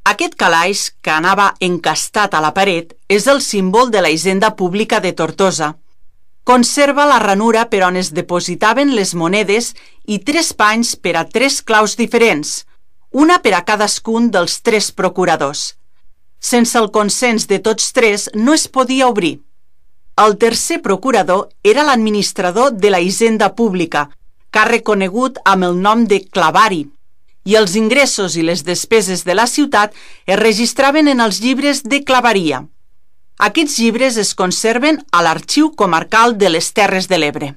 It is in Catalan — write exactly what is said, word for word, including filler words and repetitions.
Aquest calaix, que anava encastat a la paret, és el símbol de la hisenda pública de Tortosa. Conserva la ranura per on es depositaven les monedes i tres panys per a tres claus diferents, una per a cadascun dels tres procuradors. Sense el consens de tots tres no es podia obrir. El tercer procurador era l'administrador de la hisenda pública, càrrec conegut amb el nom de clavari, i els ingressos i les despeses de la ciutat es registraven en els llibres de clavaria. Aquests llibres es conserven a l'Arxiu Comarcal de les Terres de l'Ebre.